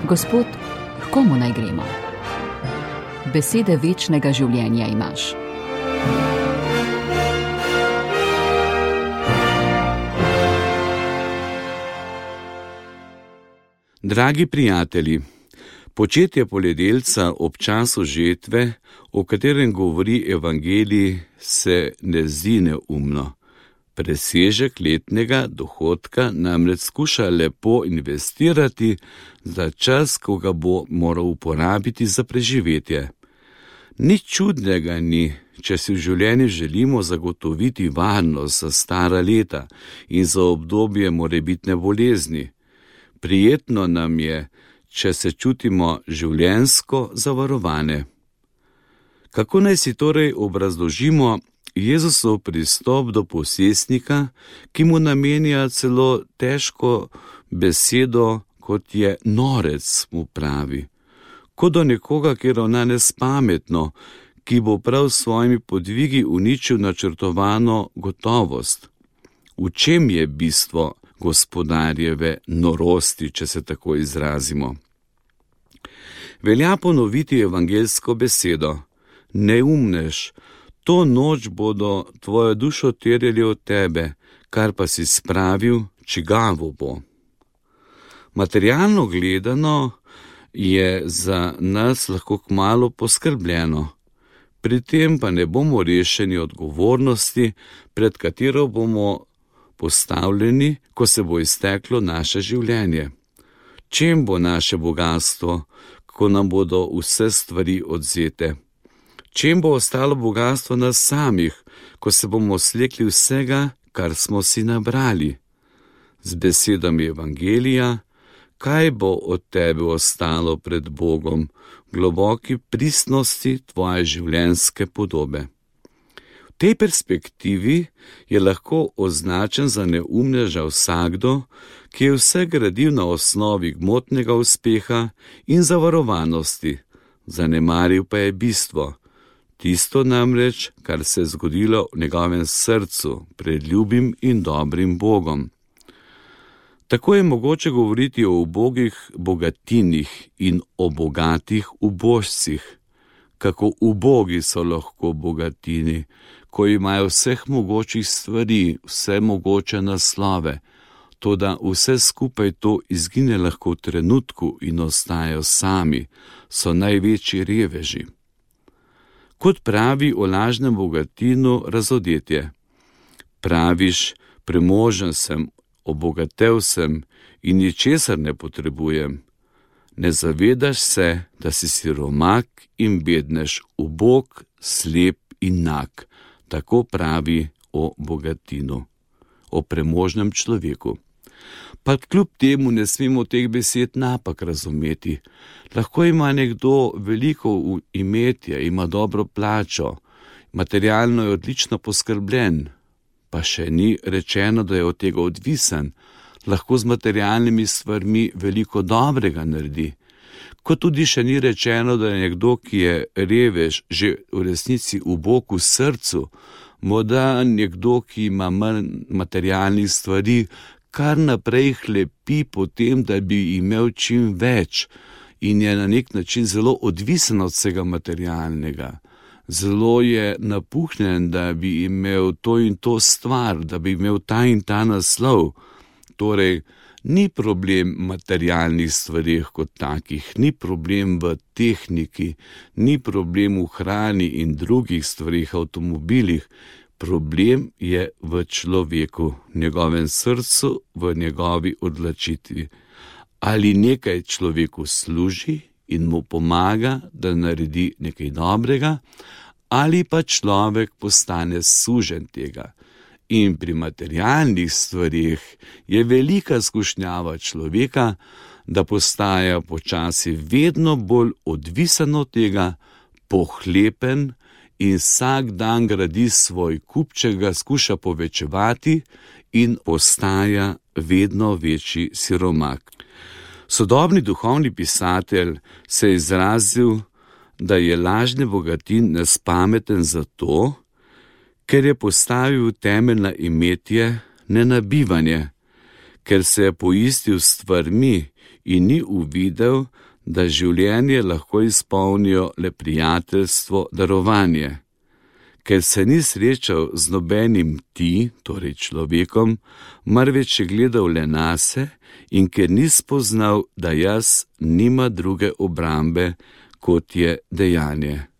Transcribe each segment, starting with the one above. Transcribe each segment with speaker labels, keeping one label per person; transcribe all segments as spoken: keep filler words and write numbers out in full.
Speaker 1: Gospod, h komu naj gremo? Besede večnega življenja imaš.
Speaker 2: Dragi prijatelji, početje poljedelca ob času žetve, o katerem govori evangelij, se ne zdi neumno. Presežek letnega dohodka namreč skuša lepo investirati za čas, ko ga bo moral uporabiti za preživetje. Nič čudnega ni, če si v življenju želimo zagotoviti varnost za stara leta in za obdobje morebitne bolezni. Prijetno nam je, če se čutimo življenjsko zavarovane. Kako naj si torej obrazložimo Jezusov pristop do posestnika, ki mu namenja celo težko besedo, kot je norec, mu pravi, kot do nekoga, ki ravna nespametno, ki bo prav s svojimi podvigi uničil načrtovano gotovost. V čem je bistvo gospodarjeve norosti, če se tako izrazimo? Velja ponoviti evangeljsko besedo: neumnež, to noč bodo tvojo dušo terjali od tebe, kar pa si spravil, čigavo bo. Materialno gledano je za nas lahko kmalu poskrbljeno, pri tem pa ne bomo rešeni odgovornosti, pred katero bomo postavljeni, ko se bo izteklo naše življenje. Čem bo naše bogastvo, ko nam bodo vse stvari odvzete? Čem bo ostalo bogastvo nas samih, ko se bomo slekli vsega, kar smo si nabrali? Z besedami evangelija, kaj bo od tebe ostalo pred Bogom, globoki pristnosti tvoje življenjske podobe? V tej perspektivi je lahko označen za neumneža vsakdo, ki je vse gradil na osnovi gmotnega uspeha in zavarovanosti, zanemaril pa je bistvo, tisto namreč, kar se je zgodilo v njegovem srcu pred ljubim in dobrim Bogom. Tako je mogoče govoriti o ubogih bogatinih in o bogatih ubožcih. Kako ubogi so lahko bogatini, ko imajo vseh mogočih stvari, vse mogoče naslove, toda vse skupaj to izgine lahko v trenutku in ostajajo sami, so največji reveži. Kot pravi o lažnem bogatinu razodetje: praviš, premožen sem, obogatel sem in ničesar ne potrebujem. Ne zavedaš se, da si siromak in bednež, ubog, slep in nag. Tako pravi o bogatinu, o premožnem človeku. Pa kljub temu ne smemo teh besed napak razumeti. Lahko ima nekdo veliko imetje, ima dobro plačo, materialno je odlično poskrbljen, pa še ni rečeno, da je od tega odvisen, lahko z materialnimi stvarmi veliko dobrega naredi. Kot tudi še ni rečeno, da je nekdo, ki je revež, že v resnici ubog v srcu, morda nekdo, ki ima manj materialnih stvari, kar naprej hlepi po tem, da bi imel čim več in je na nek način zelo odvisen od vsega materialnega. Zelo je napuhnjen, da bi imel to in to stvar, da bi imel ta in ta naslov. Torej, ni problem v materialnih stvarih kot takih, ni problem v tehniki, ni problem v hrani in drugih stvarih, avtomobilih. Problem je v človeku, v njegovem srcu, v njegovi odločitvi. Ali nekaj človeku služi in mu pomaga, da naredi nekaj dobrega, ali pa človek postane suženj tega. In pri materialnih stvarih je velika skušnjava človeka, da postaja počasi vedno bolj odvisen od tega, pohlepen, in vsak dan gradi svoj kupček, ga skuša povečevati in postaja vedno večji siromak. Sodobni duhovni pisatelj se je izrazil, da je lažni bogatin nespameten zato, ker je postavil temelj na imetje, ne na bivanje, ker se je poistil s stvarmi in ni uvidel, da življenje lahko izpolnijo le prijateljstvo, darovanje. Ker se ni srečal z nobenim ti, torej človekom, marveč je gledal le nase in ker ni spoznal, da jaz nima druge obrambe, kot je dejanje.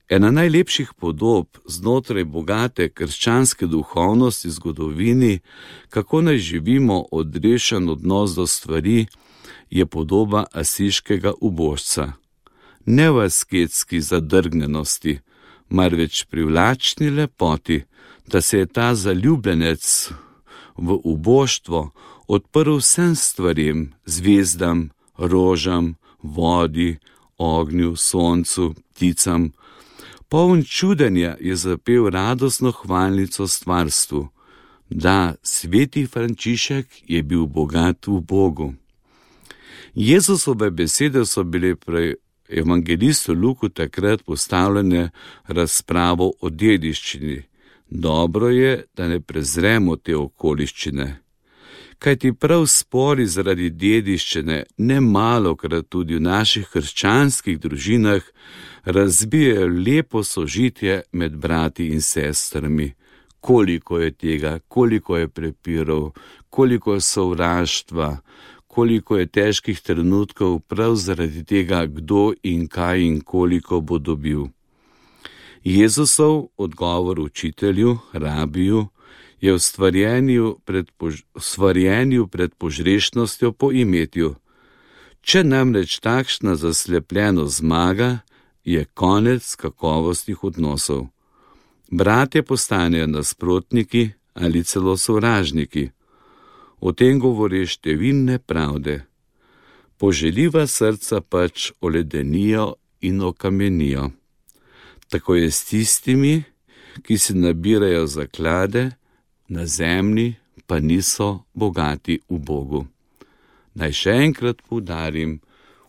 Speaker 2: Ena najlepših podob znotraj bogate krščanske duhovnosti v zgodovini, kako naj živimo odrešen odnos do stvari, je podoba asiškega ubožca. Ne v asketski zadrgnjenosti, marveč privlačni lepoti, da se je ta zaljubljenec v uboštvo odprl vsem stvarem, zvezdam, rožam, vodi, ognju, soncu, pticam. Poln čudenja je zapel radostno hvalnico stvarstvu. Da, sveti Frančišek je bil bogat v Bogu. Jezusove besede so bile pri evangelistu Luku takrat postavljene razpravo o dediščini. Dobro je, da ne prezremo te okoliščine. Kajti prav spori zaradi dediščine ne malokrat tudi v naših krščanskih družinah razbijajo lepo sožitje med brati in sestrami. Koliko je tega, koliko je prepirov, koliko je sovraštva, koliko je težkih trenutkov prav zaradi tega, kdo in kaj in koliko bo dobil. Jezusov odgovor učitelju, rabiju, je v stvarjenju pred, pož- stvarjenju pred požrešnostjo po imetju. Če namreč takšna zaslepljenost zmaga, je konec kakovostnih odnosov. Bratje postanejo nasprotniki ali celo sovražniki. O tem govori številne pravde. Poželjiva srca pač oledenijo in okamenijo. Tako je s tistimi, ki si nabirajo zaklade, na zemlji pa niso bogati v Bogu. Naj še enkrat poudarim,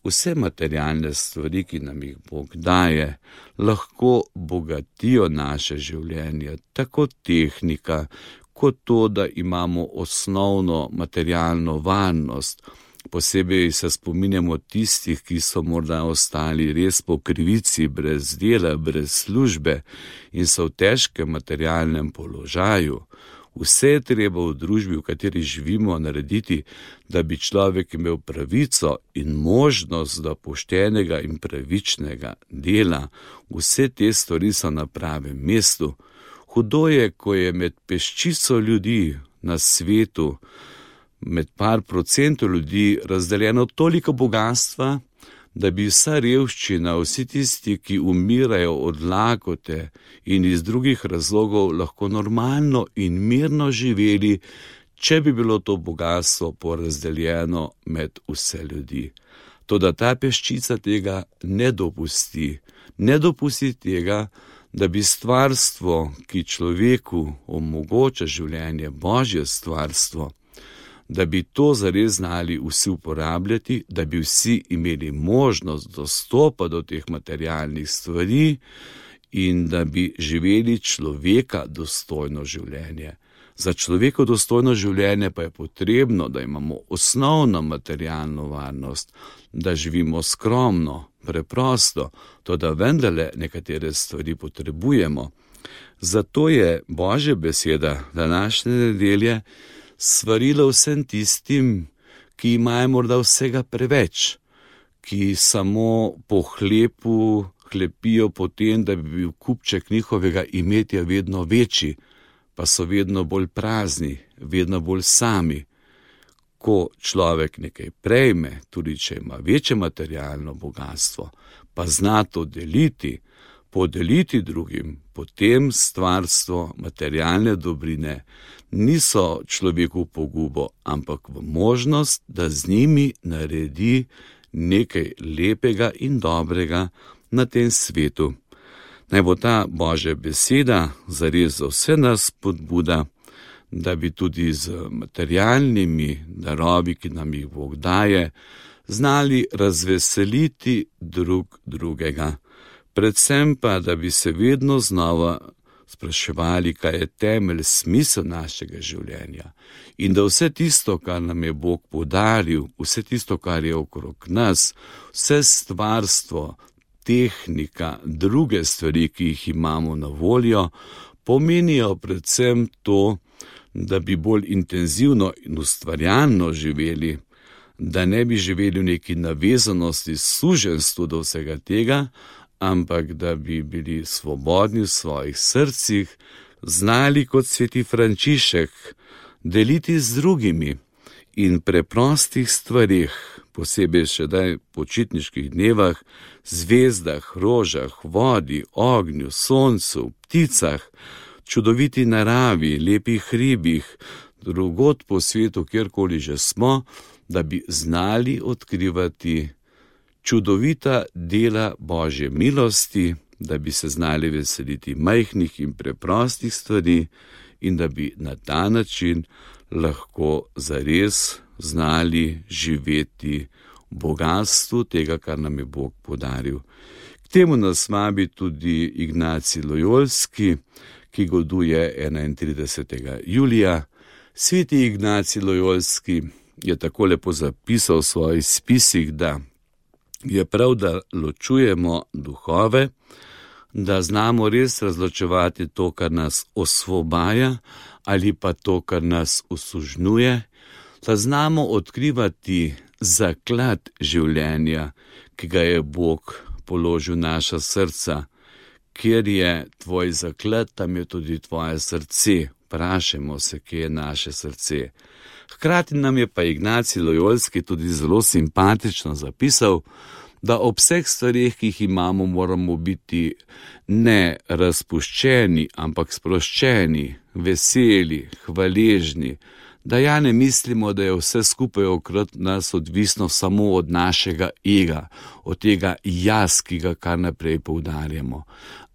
Speaker 2: vse materialne stvari, ki nam jih Bog daje, lahko bogatijo naše življenje, tako tehnika, kot to, da imamo osnovno materialno varnost. Posebej se spominjamo tistih, ki so morda ostali res po krivici, brez dela, brez službe in so v težkem materialnem položaju. Vse je treba v družbi, v kateri živimo, narediti, da bi človek imel pravico in možnost do poštenega in pravičnega dela. Vse te stvari so na pravem mestu. Hudo je, ko je med peščico ljudi na svetu, med par procentov ljudi razdeljeno toliko bogatstva, da bi vsa revščina, vsi tisti, ki umirajo od lakote in iz drugih razlogov, lahko normalno in mirno živeli, če bi bilo to bogatstvo porazdeljeno med vse ljudi. Toda ta peščica tega ne dopusti. Ne dopusti tega, da bi stvarstvo, ki človeku omogoča življenje, Božje stvarstvo, da bi to zares znali vsi uporabljati, da bi vsi imeli možnost dostopa do teh materialnih stvari in da bi živeli človeka dostojno življenje. Za človeko dostojno življenje pa je potrebno, da imamo osnovno materialno varnost, da živimo skromno, preprosto, to da vendarle nekatere stvari potrebujemo. Zato je Božja beseda današnje nedelje svarilo vsem tistim, ki imajo morda vsega preveč, ki samo po hlepu hlepijo po tem, da bi bil kupček njihovega imetja vedno večji, pa so vedno bolj prazni, vedno bolj sami. Ko človek nekaj prejme, tudi če ima večje materialno bogatstvo, pa zna to deliti, podeliti drugim, potem stvarstvo, materialne dobrine niso človeku pogubo, ampak v možnost, da z njimi naredi nekaj lepega in dobrega na tem svetu. Naj bo ta Božja beseda zares za vse nas spodbuda, da bi tudi z materialnimi darovi, ki nam jih Bog daje, znali razveseliti drug drugega. Predvsem pa, da bi se vedno znova spraševali, kaj je temelj, smisel našega življenja in da vse tisto, kar nam je Bog podaril, vse tisto, kar je okrog nas, vse stvarstvo, tehnika, druge stvari, ki jih imamo na voljo, pomenijo predvsem to, da bi bolj intenzivno in ustvarjalno živeli, da ne bi živeli v neki navezanosti, suženstvu do vsega tega, ampak da bi bili svobodni v svojih srcih, znali kot sveti Frančišek deliti z drugimi in preprostih stvarih, posebej še daj počitniških dnevah, zvezdah, rožah, vodi, ognju, soncu, pticah, čudoviti naravi, lepih hribih, drugod po svetu, kjerkoli že smo, da bi znali odkrivati čudovita dela Božje milosti, da bi se znali veseliti majhnih in preprostih stvari in da bi na ta način lahko zares znali živeti v bogastvu tega, kar nam je Bog podaril. K temu nas vabi tudi Ignacij Lojolski, ki goduje enaintridesetega julija. Sveti Ignacij Lojolski je tako lepo zapisal v svojih spisih, da je prav, da ločujemo duhove, da znamo res razločevati to, kar nas osvobaja ali pa to, kar nas osužnjuje, da znamo odkrivati zaklad življenja, ki ga je Bog položil v naša srca. Kjer je tvoj zaklad, tam je tudi tvoje srce. Vprašajmo se, kje je naše srce. Hkrati nam je pa Ignacij Lojolski tudi zelo simpatično zapisal, da ob vseh stvarih, ki jih imamo, moramo biti ne razpuščeni, ampak sproščeni, veseli, hvaležni, da ja ne mislimo, da je vse skupaj okrog nas odvisno samo od našega ega, od tega jaz, ki ga kar naprej poudarjamo,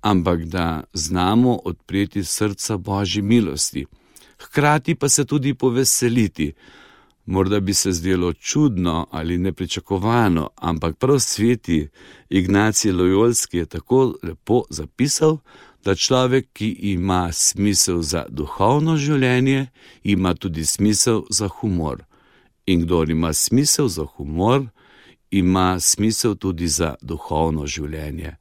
Speaker 2: ampak da znamo odpreti srca Božji milosti. Hkrati pa se tudi poveseliti. Morda bi se zdelo čudno ali nepričakovano, ampak prav sveti Ignacij Lojolski je tako lepo zapisal, da človek, ki ima smisel za duhovno življenje, ima tudi smisel za humor. In kdor ima smisel za humor, ima smisel tudi za duhovno življenje.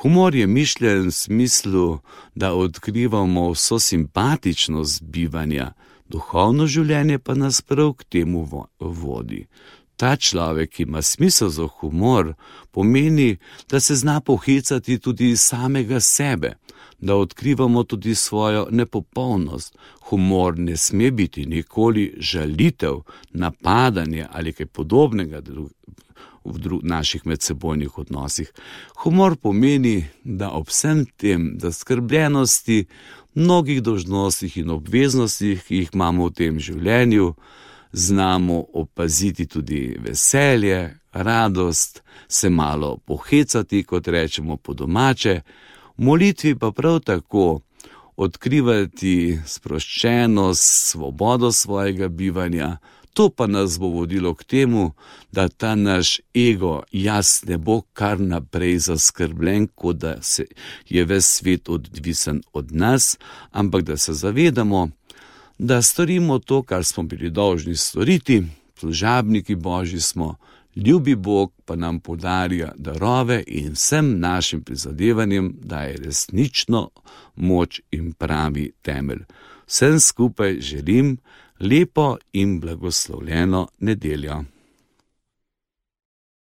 Speaker 2: Humor je mišljen v smislu, da odkrivamo vso simpatičnost bivanja, duhovno življenje pa nas prav k temu vodi. Ta človek, ki ima smisel za humor, pomeni, da se zna pohecati tudi iz samega sebe, da odkrivamo tudi svojo nepopolnost. Humor ne sme biti nikoli žalitev, napadanje ali kaj podobnega v naših medsebojnih odnosih. Humor pomeni, da ob vsem tem, da skrbljenosti, mnogih dolžnostih in obveznostih, ki jih imamo v tem življenju, znamo opaziti tudi veselje, radost, se malo pohecati, kot rečemo po domače, v molitvi pa prav tako odkrivati sproščenost, svobodo svojega bivanja. To pa nas bo vodilo k temu, da ta naš ego, jaz, ne bo kar naprej zaskrbljen, kot da se je ves svet odvisen od nas, ampak da se zavedamo, da storimo to, kar smo bili dolžni storiti, služabniki Božji smo, ljubi Bog pa nam podarja darove in vsem našim prizadevanjem daje resnično moč in pravi temelj. Vsem skupaj želim lepo in blagoslovljeno nedeljo.